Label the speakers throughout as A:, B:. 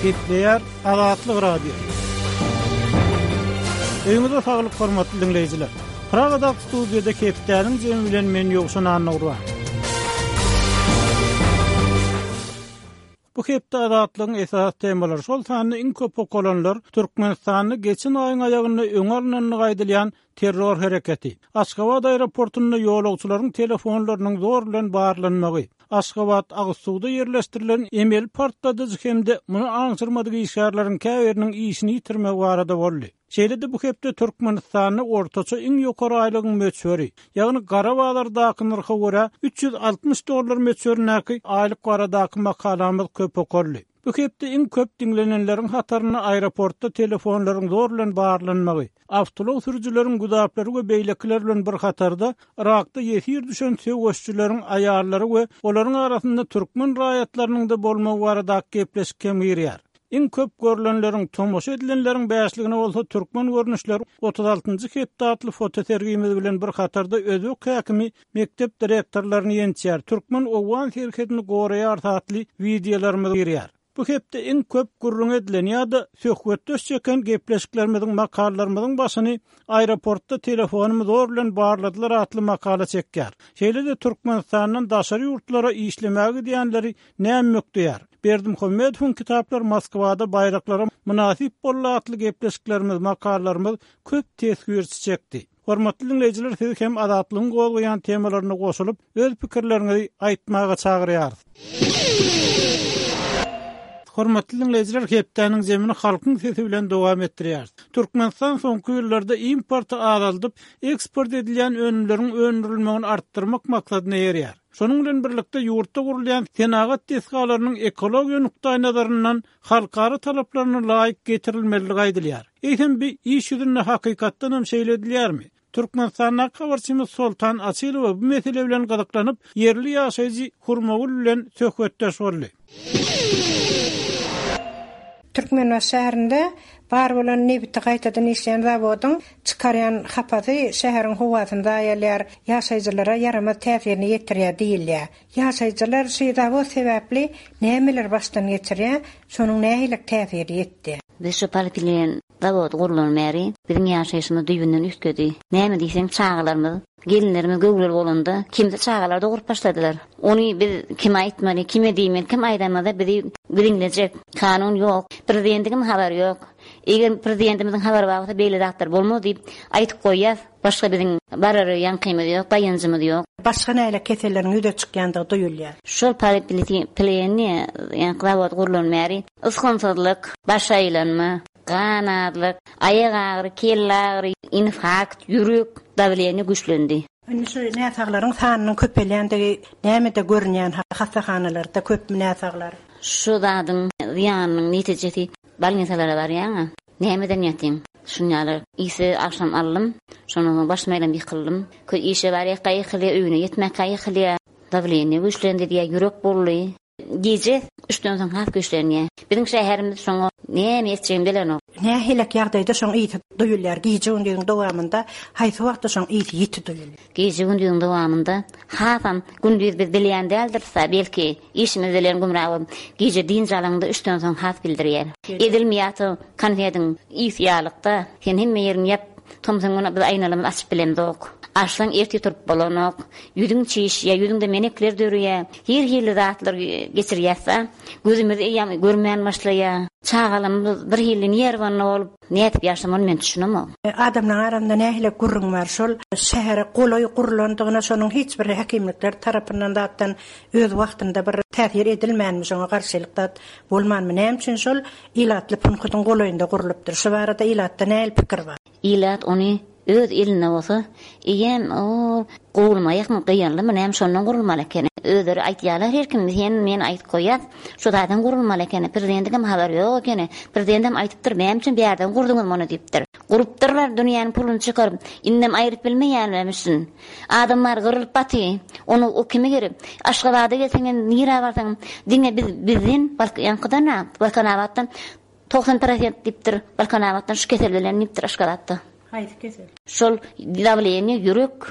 A: Gepleýär Azatlyk Radiosy. Öýüňize saglyk hormatly diňleýjiler. Pragadaky studiýada hepdäniň jemi bilen men Ýowşan Annagurban. Bu hepde Azatlygyň esasy temalary, şol sanda iň köp okalanlar Türkmenistanda geçen aýyň aýagynda öňi alnandygy aýdylýan terror hereketi, Aşgabat aeroportunda ýolagçylaryň telefonlarynyň zor bilen barlanmagy, Aşgabat agyzsuwda ýerleşdirilen emeli partladyjy hem-de muny aňşyrmadyk işgärleriň käbiriniň işini ýitirmegi barada boldy. Şeýle-de bu hepde Türkmenistanda ortaça iň ýokary aýlygyň möçberi, ýagny gara bazardaky nyrha görä 360 dollar möçberindäki aýlyk baradaky makalamyz köp okaldy. Bu hepde iň köp diňlenenleriň hatarynda aeroportda telefonlaryň zor bilen barlanmagy, awtoulag sürüjileriň güzaplary we beýlekiler bilen bir hatarda Yrakda ýesir düşen söweşijileriň aýallary we olaryň arasynda türkmen raýatlarynyň-da bolmagy baradaky gepleşik hem girýär. Iň köp görlenleriň, tomaşa edilenleriň bäşligine bolsa Türkmen görnüşleri 36-njy hepde atly fotosergimiz bilen bir hatarda özbek häkimi mekdep direktorlaryny ýençýär, Türkmen-owgan serhedini goraýarys atly wideolarymyz girýär. Bu hepde iň köp gürrüňi edilen ýa-da söhbetdeş çeken gepleşiklerimiziň, makalalarymyzyň başyny Aeroportda telefonymy zor bilen barladylar atly makala çekýär. Şeýle-de Türkmenistandan daşary ýurtlara işlemäge gidýänleri näme mükdeýär? Berdimuhamedowyň Kitaplar Moskwada baýraklara mynasyp boldy atly gepleşiklerimiz, makalalarymyz köp teswirçi çekdi. Hormatly diňleýjiler sizi hem Azatlygyň gozgaýan temalaryna goşulyp, öz pikirleriňizi aýtmaga çagyrýarys. Hormatly diňleýjiler hepdäniň zemini halkyň sesi bilen dowam etdirýäris. Türkmenistan soňky ýyllarda importy azaldyp, eksport edilýän önümleriň öndürilmegini artdyrmak maksadyna eýerýär. Şonuň bilen birlikde, ýurtda gurulýan senagat desgalarynyň ekologiýa nukdaýnazaryndan halkara talaplaryna laýyk getirilmelidigi aýdylýar. Eýsem, bi iş ýüzünde hakykatdan hem şeýle edilýärmi? Türkmenistandaky habarçymyz Soltan Açylowa bu mesele bilen gyzyklanyp, ýerli ýaşaýjy Hurmagül bilen söhbetdeş boldy.
B: Türkmenbaşy şäherinde bar bolan nebiti gaýtadan işleýän zawodyň çykarýan hapasy şäheriň howasyny zaýalaýar, ýaşaýjylara ýaramaz täsirini ýetirýär diýilýär. Ýaşaýjylar şu zawod sebäpli nämeleri başdan geçirýär, şonuň nähili täsiri ýetdi?
C: Biz şu polietilen zawody gurlany bäri biziň ýaşaýşymyz düýbünden üýtgedi. Näme diýseň çagalarymyz, gelinlerimiz göwreli bolanda kimsi çagalar dogrup başladylar. Ony biz kime aýtmaly, kime diýmeli, kim aýdamyzda bizi diňlejek. Kanun ýok. Prezidentiňem habary ýok. Eger prezidentimiziň habary bar bolsa beýle zatlar bolmaz diýip aýtyp goýýas. Başga biziň barara ýaňkymyz ýok, daýanjymyz ýok.
B: Başga nähili keselleriň ýüze çykýandygy duýulýar.
C: Şol polietilen ýaňky zawod gurlan bäri ysgynsyzlyk, baş aýlanma, gan azlyk, aýak agyry, kelle agyry, infarkt, ýürek, dawleniýe güýçlendi.
B: Indi şu näsaglaryň sanynyň köpelýändigi nämede görünýän hassahanalarda köpmi näsaglar?
C: Şu zadyň zyýanynyň netijesi bolnisalara barýaňa nämeden ýatyň şun ýaly ise agşam aldym şondan soň başym aýlanyp ýykyldym köý işe barýaka ýykylýa öýüne ýetmäkä ýykylýa dawleniýe güýçlendi diýýä ýürek boldy. Gije üçden soň has güýçlenýär. Biziň şäherimiz şoňa näme etjegini bilenok.
B: Nähilek ýagdaýda şoň ysy duýulýar? Gije-gündiziň dowamynda haýsy wagtda şoň ysy ýiti duýulýar?
C: Gije-gündiziň dowamynda hasam gündiz biz bilýän däldiris-ä, belki, işimiz bilen gümra bolup, gije dynç alaňda üçden soň has bildirýär. Edil miýata konfediň ysy ýalykda, sen hemme ýeriňi ýap, tomsuň güni biz aýnalarymyzy açyp bilemzok. Açsaň ertir turup bolanok. Ýüzüň çişýär, ýüzüňde menekler döreýär. Her hili zatlar geçirýäs-de, gözümiz eýýäm görmän başlaýar. Çagalymyz bir hili nerwanny bolup, nädip ýaşamaly men düşünemok.
B: Adamlaryň arasynda nähili gürrüň bar, şol şähere golaý gurlandygyna şonuň hiç bir häkimlikler tarapyndan zatdan öz wagtynda bir täsir edilmänmi, şoňa garşylyk zat bolmanmy, näme üçin şol ilatly punkutyň golaýynda gurlupdyr, şu barada ilatda nähili pikir bar?
C: Ilat ony öz elinde bolsa, eýýäm ol gurulmaýakmy, gyýanlymy näme şondan gurulmaly ekeni. Özleri aýtýarlar her kim, sen, men aýdyp goýýas, şu zadan gurulmaly ekeni, prezidentiňem habary ýok ekeni. Prezidentem aýdypdyr, näme üçin bärden gurduňyz muny diýipdir. Gurupdyrlar dünýäniň puluny çykaryp, indem aýryp bilmeýärlermişin. Adam bar gyrylyp baty, ony o kime gerek. Aşgabada gelseňem, nirä barsaňam, diňe biz bizden, ýaňkydan-a, Balkanabatdan 90 prosent diýipdir, Balkanabatdan şu kesel bilen diýipdir Aşgabatda.
B: Haýsy kesel?
C: Şol dawleniýe, ýürek,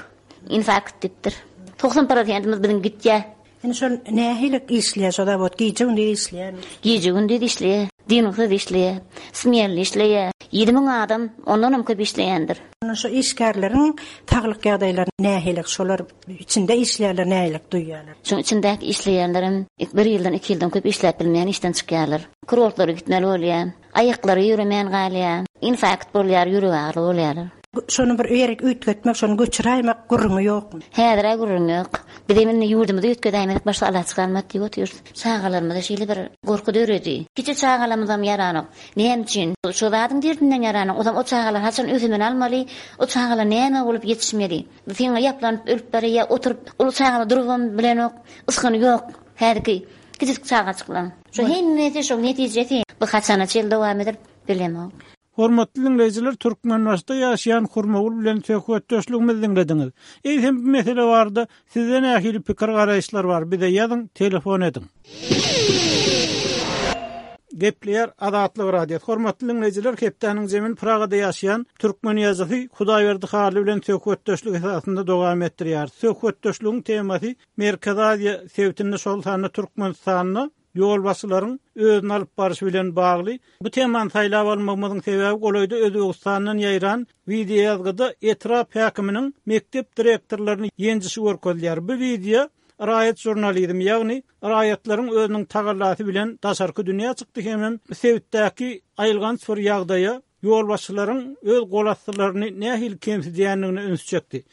C: infarkt diýipdir. 90 prosentimiz biziň gitýär.
B: Indi şol nähili işleýär şo zawod? Gije-gündiz işleýärmi?
C: Gije-gündiz işleýär. Dynuwsyz işleýär. Smenli işleýär. 7000 adam, ondanam köp işleýändir.
B: Onda şu işgärleriň saglyk ýagdaýlary nähili? Şolar içinde işleýänler nähili duýýarlar?
C: Şuň içindäki işleýänlerem bir ýyldan, iki ýyldan köp işläp bilmeýän işden çykýarlar. Kurortlara gitmeli bolýar. Aýaklary ýöremän galýar. Infarkt bolýar, ýürek agyryly bolýarlar.
B: Şony bir ýerik üýtgetmek, şony göçüräýmek gürrüňi ýokmy?
C: Häzir-ä gürrüň ýok. Bizem indi ýurdumyzy üýtgedäýmesek başga alaç galmady diýip otyrys. Çagalarymyzda şeýle bir gorky döredi. Kiçi çagalarymyzam ýaranok. Näme üçin? Şo zadyň derdinden ýaranok. Ozam o çagalar haçan ösümini almaly? O çagalar näme bolup ýetişmeli? Siňe ýaplanyp ölüp barýa, oturyp, uly çagalar durubam bilenok, ysgyny ýok. Häzirki kiçijik çagajyklaryň. Şu hemmesi şoň netijesi. Bu haçana çenli dowam eder, bilemok.
A: Hormatly diňleýjiler, Türkmenbaşyda ýaşaýan Hurmagül bilen söhbetdeşligimizi diňlediňiz. Eýsem bu mesele barada sizde nähili pikir-garaýyşlar bar, bize ýazyň, telefon ediň. Gepleýär Azatlyk Radiosy. Hormatly diňleýjiler, hepdäniň jemini Pragada ýaşaýan türkmen ýazyjysy Hudaýberdi Hally bilen söhbetdeşlik esasynda dowam etdirýäris. Söhbetdeşligiň temasy Merkezi Aziýa sebitinde, şol sanda Türkmenistanda ýolbaşçylaryň özüni alyp barşy bilen bagly. Bu temany saýlap almagymyzyň sebäbi golaýda Özbegistandan ýaýran wideoýazgyda etrap häkiminiň mekdep direktorlaryny ýenjişi görkezilýär. Bu wideo raýat žurnalizmi, ýagny raýatlaryň özüniň tagallasy bilen daşarky dünýä çykdy hemem sebitdäki aýylganç bir ýagdaýa ýolbaşçylaryň öz golastylaryny nähili kemsidýändigine üns çekdi.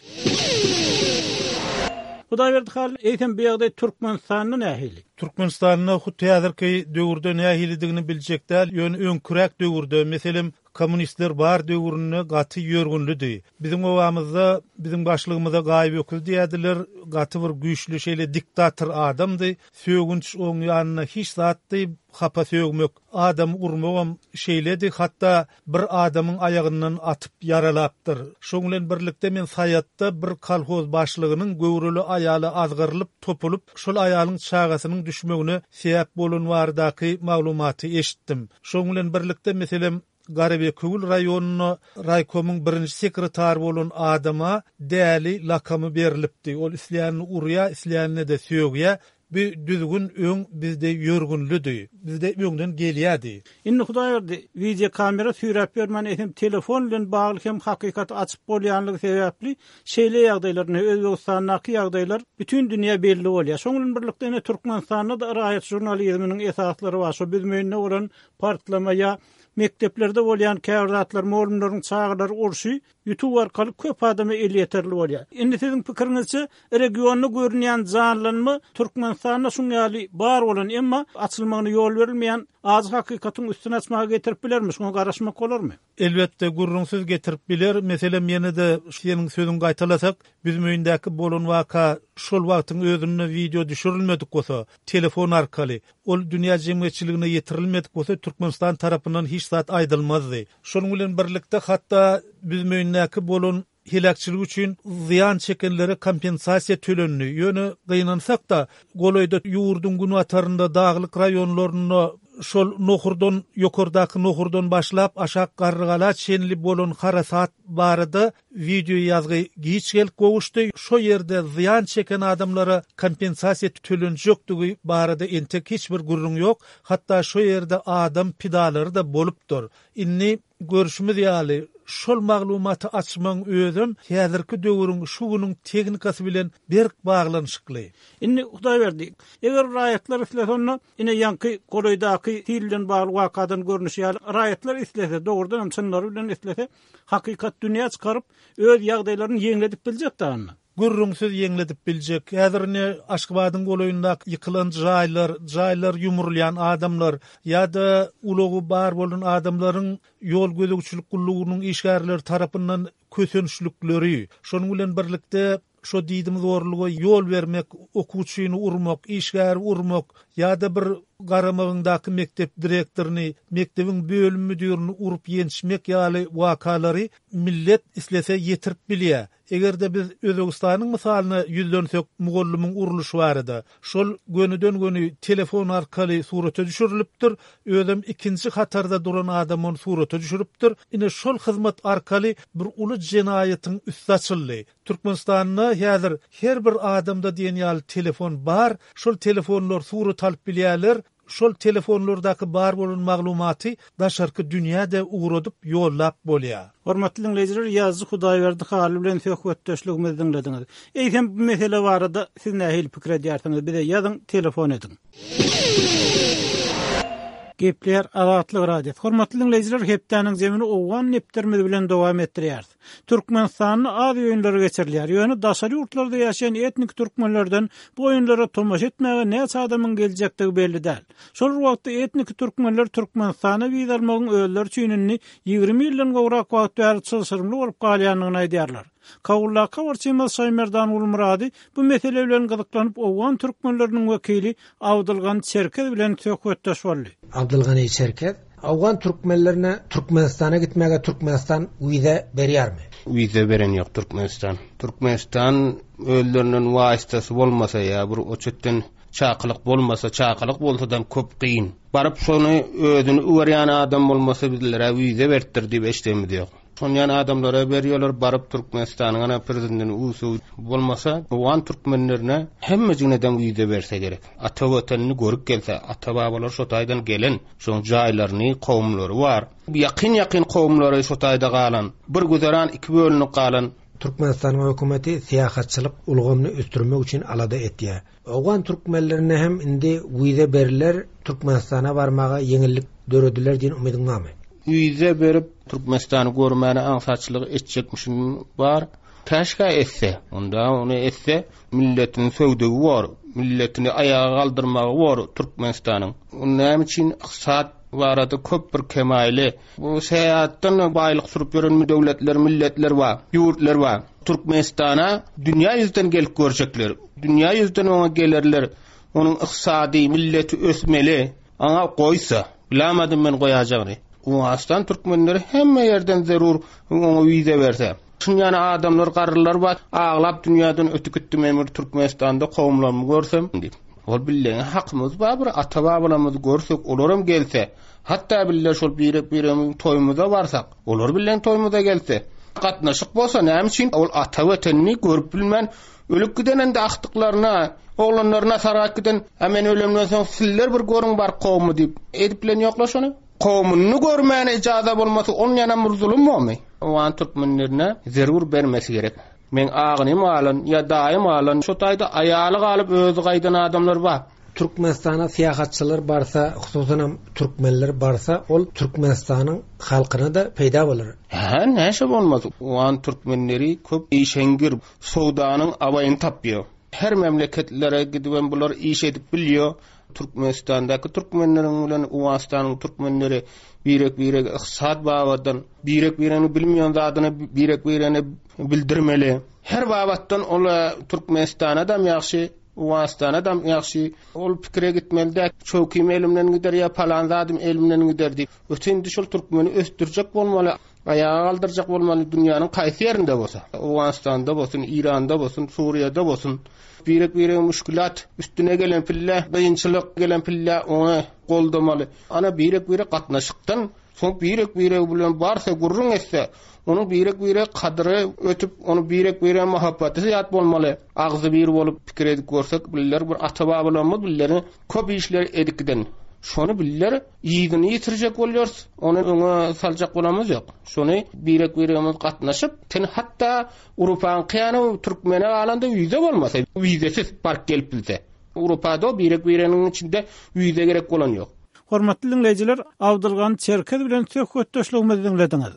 A: Hudaýberdi Hally, eýsem bu ýagdaý Türkmenistanda nähili?
D: Türkmenistanda hut häzirki döwürde nähilidigini biljek däl, ýöne öňküräk döwürde, meselem, kommunistler bar döwründe gaty ýörgünlidi. Biziň obamyzda biziň başlygymyza Gaýyp öküz diýerdiler, gaty bir güýçli şeýle diktator adamdy. Sögünç oň ýanynda hiç zatdy, hapa sögmek. Adamy urmagam şeýledi, hatda bir adamyň aýagyndan atyp ýaralapdyr. Şoň bilen birlikde men Saýatda bir kolhoz başlygynyň göwreli aýala azgyrylyp, topulyp, şol aýalyň çagasynyň düşmegine sebäp bolan baradaky maglumaty eşitdim. Şoň bilen birlikde, meselem, Garabekewül raýonynda raýkomyň birinji sekretary bolan adama Däli lakamy berlipdi. Ol isleýänini urýar, isleýänine-de sögýär. Bu düzgün öň bizde ýörgünlidi. Bizde öňden gelýärdi.
A: Indi Hudaýberdi, wideokamera süýräp ýörmän eýsem telefon bilen bagly hem hakykaty açyp bolýanlygy sebäpli şeýle ýagdaýlar ine Özbegistandaky ýagdaýlar bütin dünýä belli bolýar. Şoň bilen birlikde ine Türkmenistanda-da raýat žurnalizminiň esaslary bar. Şo Büzmeýinde bolan partlama ýa mekdeplerde bolýan käbir zatlar, mugallymlaryň çagalary urşy Youtube arkaly köp adama elýeterli bolýar. Indi siziň pikiriňizçe regionda görünýän janlanma Türkmenistanda şuň ýaly bar bolan, emma açylmagyna ýol berilmeýän ajy hakykatyň üstüni açmaga getirip bilermi? Şuňa garaşmak bolarmy?
D: Elbetde, gürrüňsiz getirip biler. Meselem, ýene-de seniň sözüňi gaýtalasak, Büzmeýindäki bolan waka şol wagtyň özünde wideo düşürilmedik bolsa, telefon arkaly, ol dünýä jemgyýetçiligine ýetirilmedik bolsa, Türkmenistan tarapyndan hiç zat aýdylmazdy. Şonuň bilen birlikde, hatda Büzmeýindäki bolan heläkçilik üçin zyýan çekenlere kompensasiýa tölendi. Ýöne, gynansak-da, golaýda ýurduň günbatarynda, daglyk raýonlarynda şol Nohurdan, ýokardaky Nohurdan başlap, aşak Garrygala çenli bolan harasat barada Wideoýazgy giç gelip gowuşdy, şo ýerde zyýan çeken adamlara kompensasiýa tölenjekdigi barada entek hiç bir gürrüň ýok, hatda şo ýerde adam pidalary-da bolupdyr. Indi, görşümiz ýaly, şol maglumaty açmagyň özem häzirki döwrüň, şu günüň tehnikasy bilen berk baglanyşykly.
A: Indi, Hudaýberdi, eger raýatlar islese onda, ine, ýaňky golaýdaky sil bilen bagly wakadan görnüşi ýaly, raýatlar islese, dogrudanam çynlary bilen islese, Hakykat dünýä çykaryp, öz ýagdaýlaryny ýeňledip biljek dagynda.
D: Gürrüňsiz ýeňledip biljek. Häzir ine Aşgabadyň golaýyndaky ýykylan jaýlar, jaýlar ýumrulýan adamlar ýa-da ulagy bar bolan adamlaryň ýol gözegçilik gullugynyň işgärleri tarapyndan kösençlikleri, şonuň bilen birlikde Şo diýdimzorluga ýol bermek, okuwçyny urmak, işgäri urmak ýa-da bir garamagyňdaky mekdep direktoryny, mekdebiň bölüm müdirini urup-ýençmek ýaly wakalary millet islese ýetirip bilýär. Eger-de biz Özbegistanyň mysalyna ýüzlensek mugallymyň urluşy barada, şol gönüden-göni telefon arkaly surata düşürilipdir, özem ikinji hatarda duran adam ony surata düşüripdir. Ine şol hyzmat arkaly bir uly jenaýatyň üsti açyldy. Türkmenistanda häzir her bir adamda diýen ýaly telefon bar. Şol telefonlar surat alyp bilýärler. Şol telefonlardaky bar bolan maglumaty daşarky dünýä-de ugradyp, ýollap bolýar.
A: Hormatly diňleýjiler, ýazyjy Hudaýberdi Hally bilen söhbetdeşligimizi diňlediňiz. Eýsem, bu mesele barada siz nähili pikir edýärsiňiz? Bize ýazyň, telefon ediň. Gepleýär Azatlyk Radiosy. Hormatly diňleýjiler, hepdäniň jemini owgan depderimiz bilen dowam etdirýäris. Türkmenistanda Aziýa oýunlary geçirilýär. Ýöne daşary ýurtlarda ýaşaýan etniki türkmenlerden bu oýunlara tomaşa etmäge näçe adamyň geljekdigi belli däl. Şol bir wagtda etniki türkmenler Türkmenistana wiza almagyň özleri üçin indi 20 ýyldan gowrak wagt bäri çylşyrymly bolup galýandygyny aýdýarlar. Kabuldaky habarçymyz Şaýmerdan Gulmyrady bu mesele bilen gyzyklanyp owgan türkmenleriniň wekili Abdylgany Çerkez bilen söhbetdeş boldy.
E: Abdylgany Çerkez, Owgan türkmenlerine Türkmenistana gitmäge Türkmenistan wiza berýärmi?
F: Wiza beren ýok Türkmenistan. Türkmenistan özlerinden waýstasy bolmasa ýa bir oçetden çakylyk bolmasa, çakylyk bolsadam köp kyn. Baryp şony özüni öwerýän adam bolmasa bizlere wiza beripdir diýip eşdenimiz ýok. Şonýan adamlara berýärler baryp Türkmenistanyň ana prezidentini usuw bolmasa owgan türkmenlerine hemmejiginedem wiza berse gerek. Ata watanyny görüp gelse ata babalary şo taýdan gelen şoň jaýlaryny kowumlary bar. Ýakyn ýakyn kowumlary şo taýda galan. Bir güzeran iki bölünip galan.
E: Türkmenistanyň hökümeti syýahatçylyk ulgamyny ösdürmek üçin alada etýär. Owgan türkmenlerine hem indi wiza beriler, Türkmenistana barmaga ýeňillik dörediler diýen umydyň barmy?
F: Wiza berip Türkmenistany görmäne aňsatçylyk etjekmişin bar. Käşgä etse, onda ony etse milletini söwdügi bor, milletini aýaga galdyrmagy bor Türkmenistanyň. Näme üçin ykdysat barada köp bir kemaýly Bu seýatdan baýlyk sürüp ýören döwletler, milletler bar, ýurtlar bar. Türkmenistana dünýä ýüzden gelip görjekler. Dünýä ýüzden oňa gelerler. Onuň ykdysady, milleti ösmeli. Aňa goýsa, bilamadym men goýajagyny. Owganystan türkmenleri hemme ýerden zerur oňa wiza berse. Şunýany adamlar, garrylar bar, aglap dünýäden ötüp gitdi men bir Türkmenistanda kowumlarymy görsem diýip. Ol billeňe hakymyz bar bir ata-babalarymyzy görsek, olaram gelse. Hatda bille şol birek-biregimiziň toýumyza barsak, olar bilen toýumyza gelse, gatnaşyk bolsa näme üçin ol ata Watanyny görüp bilmän ölüp giden indi agtyklaryna, oglanlaryna sargap giden, a men ölemden soň sizler bir görüň baryp kowumy diýip, edip bilen ýokla şony. Kowumyny görmäne ijaza bolmasa onýanam bir zulum bormy? Owgan türkmenlerine zerur bermesi gerek. Meň agynym galan ýa daýym galan şo taýda aýaly galyp özi gaýdan adamlar bar.
E: Türkmenistana syýahatçylar barsa, hususanam türkmenler barsa, ol Türkmenistanyň halkyna-da peýda bolar.
F: Hä, näşe bolmaz. Owgan türkmenleri köp işeňňir, sowdanyň abaýyny tapýar. Her memleketlere gidibem bular iş edip bilýär. Türkmenistandaky türkmenleriň bilen Owganystanyň türkmenleri birek-birege ykdysat babatdan, birek-bireginiň bilmeýän zadyny birek-biregine bildirmeli. Her babatdan ol Türkmenistana-dam ýagşy, Owganystanadam ýagşy. Ol pikire gitmeli däl. Çöwkim elimden gider ýa palan zadym elimden gider diýip. Öte indi şol türkmeni ösdürjek bolmaly, aýaga galdyrjak bolmaly dünýäniň kaýsy ýerinde bolsa. Owganystanda bolsun, Iranda bolsun, Suriýada bolsun. Birek-birege müşgülat üstüne gelen pille, kynçylyk gelen pille ony goldamaly. Ana birek-birek gatnaşykdan Soň birek-biregi bilen barsa gürrüň etse, onuň birek-birege kadyry ötüp, ony birek-birege muhabbaty zyýat bolmaly. Agzybir bolup pikir edip görsek, biller bir ata-babalarymyz billere köp işleri edip giden. Şony biller yzyny ýitirjek bolýarys, ony öňe saljak bolamyz ýok. Şony birek-biregimiz gatnaşyp, sen hatda Urupaňky ýaly türkmene galanda wiza bolmasa, wizasiz baryp gelip bilse. Urupada birek-bireginiň içinde wiza gerek bolan ýok.
A: Hormatly diňleýjiler, Abdylgany Çerkez bilen söhbetdeşligimizi diňlediňiz.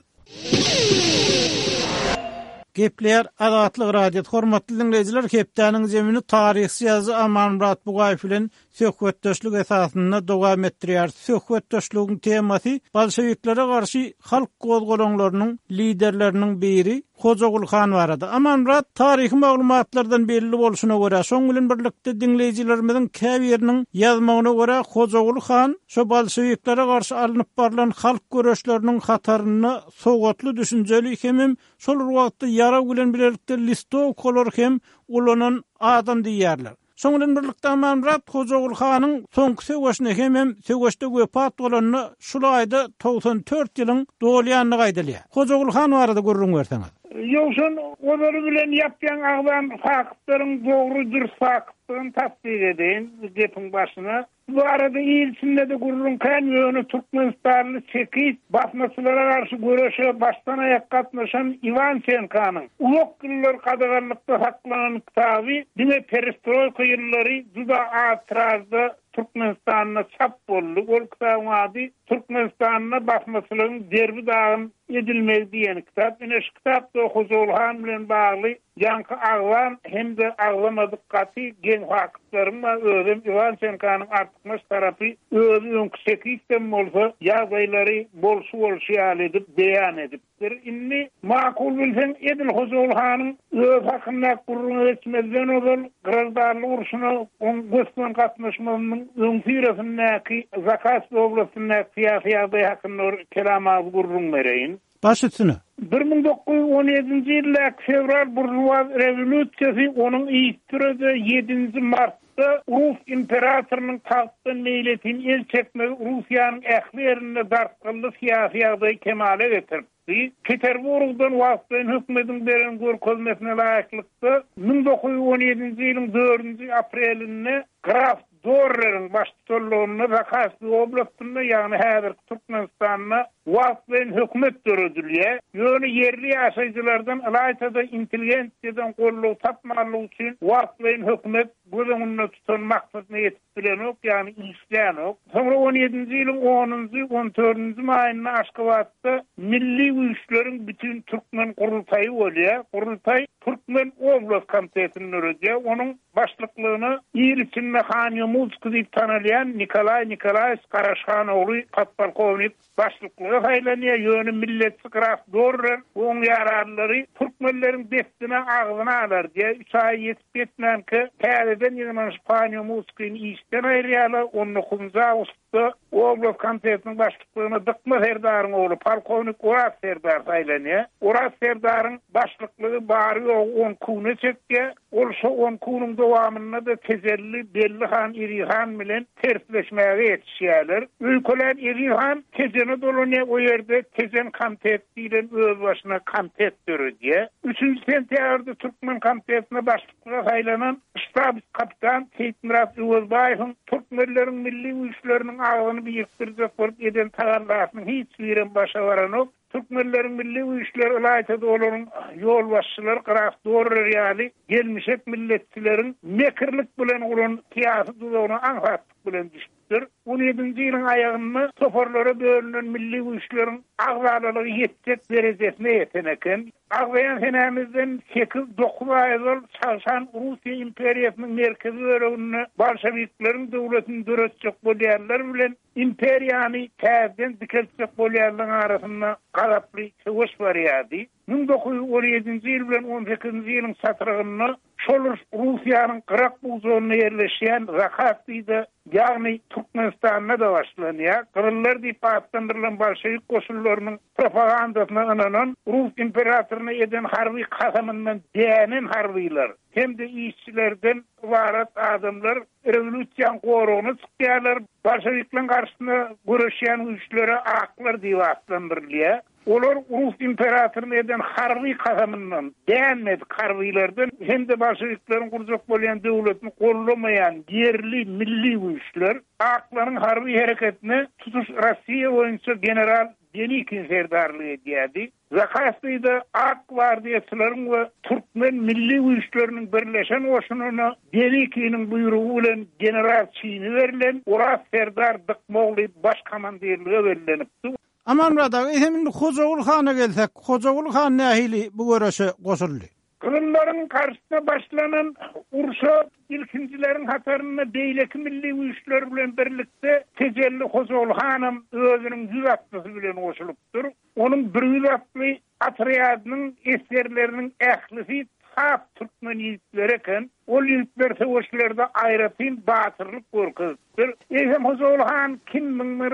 A: Gepleýär Azatlyk Radiosy. Hormatly diňleýjiler, hepdäniň zemini taryhçy ýazyjy Amanmyrat Bugaýew bilen söhbetdeşlik esasynda dowam etdirýäris. Söhbetdeşligiň temasy bolşewiklere garşy halk gozgalaňlarynyň liderleriniň biri Hojaguly han barada. Amanmyrat, taryhy maglumatlardan belli bolşuna görä, şoň bilen birlikde diňleýjilerimiziň käbiriniň ýazmagyna görä, Hojaguly han şo bolşewiklere garşy alnyp barlan halk göreşleriniň hatarynda sowatly, düşünjeli hemem şol bir wagtda ýarag bilen bilelikde listowkalary hem ulanan adam diýýärler. Şoň bilen birlikde Amanmyrat Hojaguly hanyň soňky söweşine hemem söweşde wepat bolanyna şul aýda 94 ýylyň dolýandygy aýdylýar. Hojaguly han barada gürrüň berseňiz.
G: Ýowşan ozaly bilen ýap-ýaňy agzan faktlaryň dogry, dürs faktdygyny tassyk edeýin gepiň başyna. Bu barada il içinde-de gürrüň kän, ýöne türkmenistanly çekist basmaçylara garşy göreşe başdan-aýak gatnaşan Iwançenkanyň uzak ýyllar gadaganlykda saklanan kitaby diňe perestroýka ýyllary juda az tiražda Türkmenistanda çap boldy. Ol kitabyň ady Türkmenistanda basmaçylygyň derbi-dagyn edilmegi diýen kitap. Ine, şu kitapda Hojaguly han bilen bagly ýaňky agzan hem-de agzamadyk gaty geň faktlaryň bar. Özem Iwançenkanyň artykmaç tarapy özi öňki çekistem bolsa, ýagdaýlary bolşy-bolşy ýaly edip beýan edip. Bir indi makul bilseň edil Hojaguly hanyň özi hakyndaky gürrüňe geçmezden ozal graždanlyk urşuna oň gös-göni gatnaşmazynyň öňüsyrasyndaky Zakaspi oblastyndaky syýasy ýagdaý hakynda bir kelam agyz gürrüň bereýin.
A: Baş üstüne.
G: 1917-nji ýyldaky fewral buržuaz rewolýusiýasy onuň yzysüre-de ýedinji martda rus imperatorynyň tagtdan meýletin el çekmegi Russiýanyň ähli ýerinde dartgynly syýasy ýagdaýy kemala getiripdi. Peterburgdan wagtlaýyn hökümediň beren görkezmesine laýyklykda, 1917-nji ýylyň dördünji aprelinde graf Dorreriň baştutanlygynda Zakaspi oblastynda, ýagny häzirki Türkmenistanda wagtlaýyn hökümet döredilýär. Ýöne ýerli ýaşaýjylardan, ylaýta-da intelligensiýadan goldaw tapmanlygy üçin wagtlaýyn hökümet göz öňünde tutan maksadyna ýetip bilenok, ýagny işlänok. Soňra on ýedinji ýylyň onunjy, on dördünji maýynda Aşgabatda Milli güýçleriň bütin türkmen gurultaýy bolýar. Gurultaý Türkmen oblast komitetini döredýär. Onuň Başlyklygyna il içinde Han Ýomutskiý diýip tanalýan Nikolaý Nikolaýewiç Garaşhan ogly podpolkownik başlyklyga saýlanýar, ýöne milletçi graf Dorrer we oň ýaranlary türkmenleriň dessine agzyny alar diýýär. Üç aý ýetip-ýetmänkä täzeden ýygnanyşyp Han Ýomutskini işden aýyrýarlar, on dokuzynjy awgustda Oblast komitetiniň başlyklygyna Dykma serdaryň ogly polkownik Oraz serdar saýlanýar. Oraz serdaryň başlyklygy bary-ýogy on kune çekýär. Ol şo on kunuň dowamynda-da Tejelli Belli han Eziz han bilen tersleşmäge ýetişýärler. Öýkelän Eziz han Tejene dolanýar, o ýerde Tejen komitet diýlen özbaşyna komitet döredýär. Üçünji sentýabrda Türkmen komitetine başlyk Başlyklyga saýlanan ştabs-kapitan Seýitmyrat Öwezbaýewiň türkmenleriň milli güýçleriniň agzyny birikdirjek bolup eden tagallasynyň hiç birem başa baranok. Türkmenleriň milli güýçleri, ylaýta-da olaryň ýolbaşçylary graf Dorrer ýaly gelmişek milletçileriň mekirlik bilen guran syýasy duzagyna aňsatlyk bilen düşüpdir. On ýedinji ýylyň aýagynda toparlara bölünen milli güýçleriň agzalalygy ýetjek derejesine ýeten eken. Agzaýan senämizden sekiz-dokuz aý ozal çagşan Russiýa imperiýasynyň merkezi böleginde bolşewikleriň döwletini döretjek bolýanlar bilen imperiýany täzeden dikeltjek bolýanlaryň arasynda gazaply söweş barýardy. 1917-nji ýyl bilen on sekizinji ýylyň çatrygynda şol uruş Russiýanyň gyrak bujagynda ýerleşýän Zakaspide, ýagny Türkmenistanda-da başlanýar. Gyzyllar diýip atlandyrylan bolşewik goşunlarynyň propagandasyna ynanan, rus imperatoryna eden harby kasamyndan dänen harbylar hem-de işçilerden ybarat adamlar rewolýusiýanyň goragyna çykýarlar, bolşewikleriň garşysyna göreşýän güýçlere aklar diýip atlandyrylýar. Olar rus imperatoryna eden harby kasamyndan dänmedik harbylardan hem-de bolşewikleriň gurjak bolýan döwletini goldamaýan ýerli milli güýçler aklaryň harby hereketine tutuş Rossiýa boýunça general Denikin serdarlyk edýärdi. Zakaspide ak gwardiýaçylaryň we türkmen milli güýçleriniň birleşen goşunyna Denikiniň buýrugy bilen general çini berlen Oraz serdar Dykmogly baş komandirlige bellenipdi.
A: Amanmyrat aga, eýsem indi Hojaguly hana gelsek, Hojaguly han nähili bu göreşe goşuldy?
G: Gyzyllaryň garşysyna başlanan urşa ilkinjileriň hatarynda beýleki milli güýçler bilen birlikde Tejelli Hojaguly hanam özüniň ýüz atlysy bilen goşulypdyr. Onuň bir ýüz atly otrýadynyň esgerleriniň ählisi sap türkmen ýigitleri eken. Ol ýigitler söweşlerde aýratyn batyrlyk görkezipdir. Eýsem Hojaguly han kimmiň bir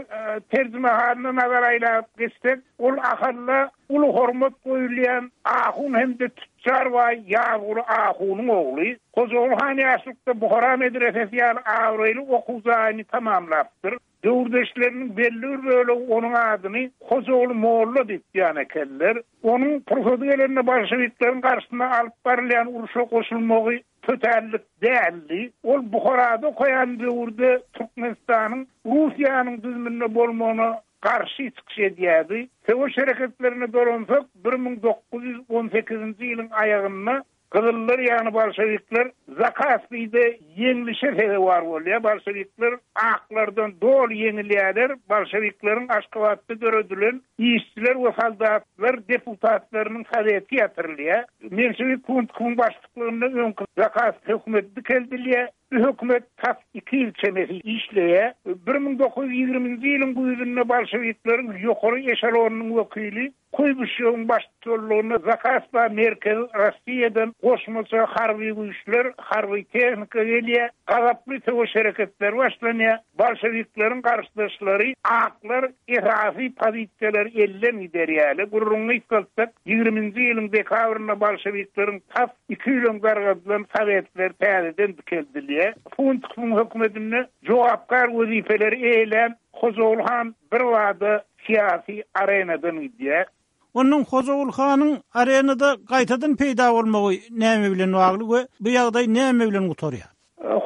G: terjimehalyna nazar aýlap geçsek, ol Ahalda uly hormat goýulýan ahun hem-de tüçjar baý Ýazguly ahunyň ogly. Hojaguly han ýaşlykda Buhara medresesi ýaly abraýly okuw jaýyny tamamlapdyr. Döwürdeşleriniň belli bir bölegi onuň adyny Hojaguly molla diýip ýan ekenler. Onuň pursady gelende bolşewikleriň garşysyna alyp barylýan urşa goşulmagy tötänlik däldi. Ol Buharada okaýan döwürde Türkmenistanyň Russiýanyň düzüminde bolmagyna garşy çykyş edýärdi. Söweş hereketlerine dolansak, 1918-nji ýylyň aýagynda Gyzyllar ýagny bolşewikler Zakaspide ýeňlişe sezewar bolýar. Bolşewikler aklardan doly ýeňilýärler. Bolşewikleriň Aşgabatda döredilen işçiler we soldatlar deputatlarynyň soweti ýatyrylýar. Menşewik Kuntkowyň başlyklygynda öňki Zakaspi hökümeti dikeldilýär. Bu hökümet tas iki ýyl çemesi işleýär. 1920-nji ýylyň güýzünde bolşewikleriň ýokary eşelonynyň wekili Kuýbyşewiň baştutanlygynda Zakaspa Merkezi Rossiýadan goşmaça harby güýçler, harby tehnika gelýär, gazaply söweş hereketleri başlanýar, bolşewikleriň garşydaşlary aklar esasy pozisiýalary elden giderýärler. Gürrüňi gysgaltsak, ýigriminji ýylyň dekabrynda bolşewikleriň tas iki ýyl öň dargadylan sowetleri täzeden dikeldilýär. Funtowyň hökümetinde jogapkär wezipeleri eýelän Hojaguly han birbada syýasy arenadan gidýär.
A: Onuň Hojaguly hanyň arenada gaýtadan peýda bolmagy näme bilen bagly we bu ýagdaý näme bilen gutarýar?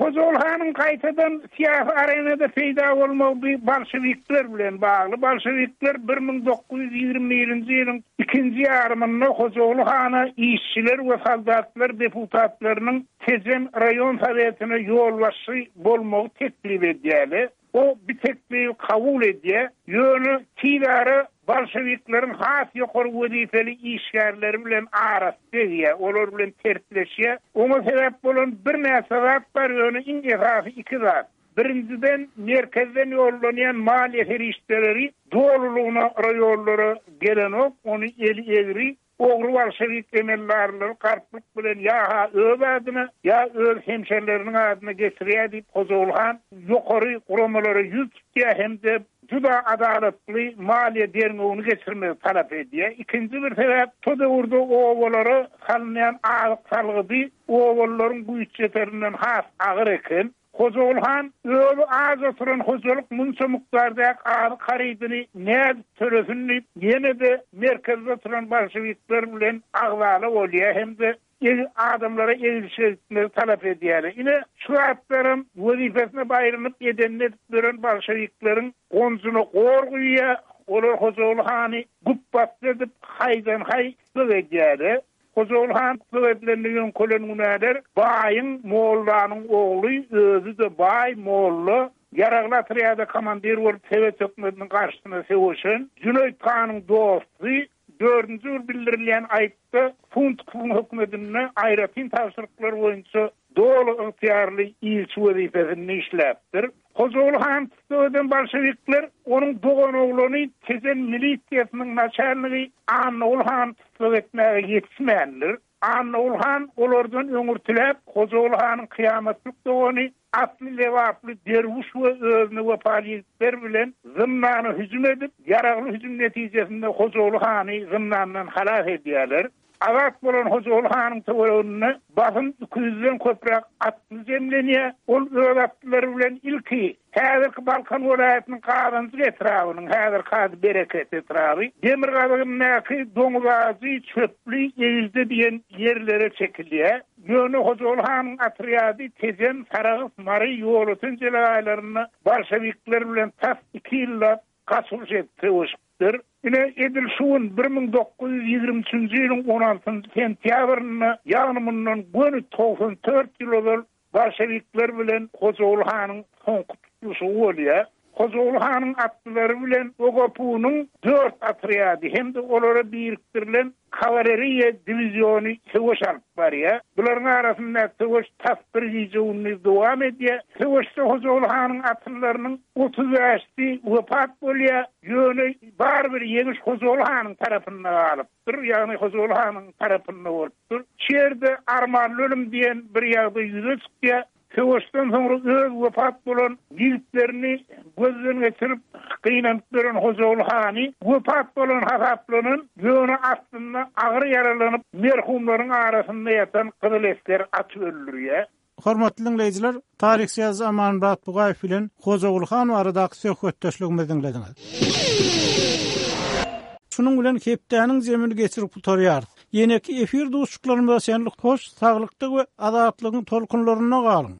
G: Hojaguly hanyň gaýtadan syýasy arenada peýda bolmagy bu bolşewikler bilen bagly. Bolşewikler 1921-nji ýylyň ikinji ýarymynda Hojaguly hana işçiler we soldatlar deputatlarynyň Tejen raýon sowetine ýolbaşçy bolmagy teklip edýärler. O bu teklibi kabul edýär, ýöne tizara bolşewikleriň has ýokary wezipeli işgärleri bilen arasy degýär, olar bilen tersleşýär. Oňa sebäp bolan birnäçe zat bar, ýöne iň esasy iki zat. Birinjiden, merkezden ýollanýan maliýe serişdeleri dolulygyna raýonlara gelenok, ony eli egri Ogry bolşewik emeldarlary galplyk bilen ýa-ha öz adyna, ýa öz hemşerileriniň adyna geçirýär diýip, Hojaguly han ýokary guramalara ýüz tutýar hem-de juda adalatly maliýe derňewini geçirmegi talap edýär. Ikinji bir sebäp, şo döwürde obalara salynýan azyk salgydy obalylaryň güýçýeterinden has agyr eken. Hojaguly han özi aç oturan hojalyk munça mukdardaky azyk harydyny nädip tölesin diýip, ýene-de merkezde oturan bolşewikler bilen agzala bolýar hem-de adamlara egilşik etmegi talap edýärler. Ine, şu zatlaram wezipesine baýrynyp edenini edip ýören bolşewikleriň gonjuna gor guýýar, olar Hojaguly hany güpbasdy edip, haýdan-haý gyk edýärler. Hojaguly han tussag edilende ýöňkelen günäler baýyň, mollanyň ogly, özi-de baý, molla, ýaragly otrýada komandir bolup sowet hökümetiniň garşysyna söweşen, Jüneýit hanyň dosty, dördünji bir bildirilýän aýypda Funtkowyň hökümetinde aýratyn tabşyryklar boýunça doly ygtyýarly ilçi wezipesinde işläpdir. Hojaguly hany tussag eden bolşewikler onuň doganoglany Tejen milisiýasynyň naçalnigi Annaguly hany tussag etmäge ýetişmändir. Annaguly han olardan öňürtiläp, Hojaguly hanyň kyýamatlyk dogany asly lebaply derwüş we özüne wepaly ýigitler bilen zyndana hüjüm edip, ýaragly hüjüm netijesinde Hojaguly hany zyndandan halas edýärler. Azat bolan Hojaguly hanyň töwereginde basym iki ýüzden köpräk atly jemlenýär. Ol öz atlylary bilen ilki häzirki Balkan welaýatynyň Gazanjyk etrabynyň, häzirki ady Bereket etraby, demirgazygyndaky Doňuzajy, Çöpli, Egilje diýen ýerlere çekilýär. Ýöne Hojaguly hanyň otrýady Tejen, Sarahs, Mary, Ýolöten jelegaýlarynda bolşewikler bilen tas iki ýyllap gaçylyş edip söweşipdir. Ine, edil şu gün, 1923-nji ýylyň on altynjy sentýabrynda, ýagny mundan göni 94 ýyl ozal bolşewikler bilen Hojaguly hanyň soňky tutluşygy bolýar. Hojaguly hanyň atlylary bilen OGPU-nyň dört otrýady hem-de olara birikdirilen Kawaleriýa diwiziony söweş alyp barýar. Bularyň arasyndaky söweş tas bir gije-gündiz dowam edýär. Söweşde Hojaguly hanyň atlylarynyň 35-si wepat bolýar. Ýöne barybir ýeňiş Hojaguly hanyň tarapynda galypdyr, ýagny Hojaguly hanyň tarapynda bolupdyr. Şu ýerde armanly ölüm diýen bir ýagdaý ýüze çykýar. Söweşden soňra öz wepat bolan ýigitlerini gözden geçirip, gynanyp ýören Hojaguly hany wepat bolan hasaplanan, ýöne aslynda agyr ýaralanyp, merhumlaryň arasynda ýatan gyzyl esgeri atyp öldürýär.
A: Hormatly diňleýjiler, taryhçy ýazyjy Amanmyrat Bugaýew bilen Hojaguly han baradaky söhbetdeşligimizi diňlediňiz. Şunuň bilen hepdäniň jemini geçirip gutarýarys. Ýeneki efir duşuşyklarymyza çenli hoş saglykda we azatlygyň tolkunlarynda galyň!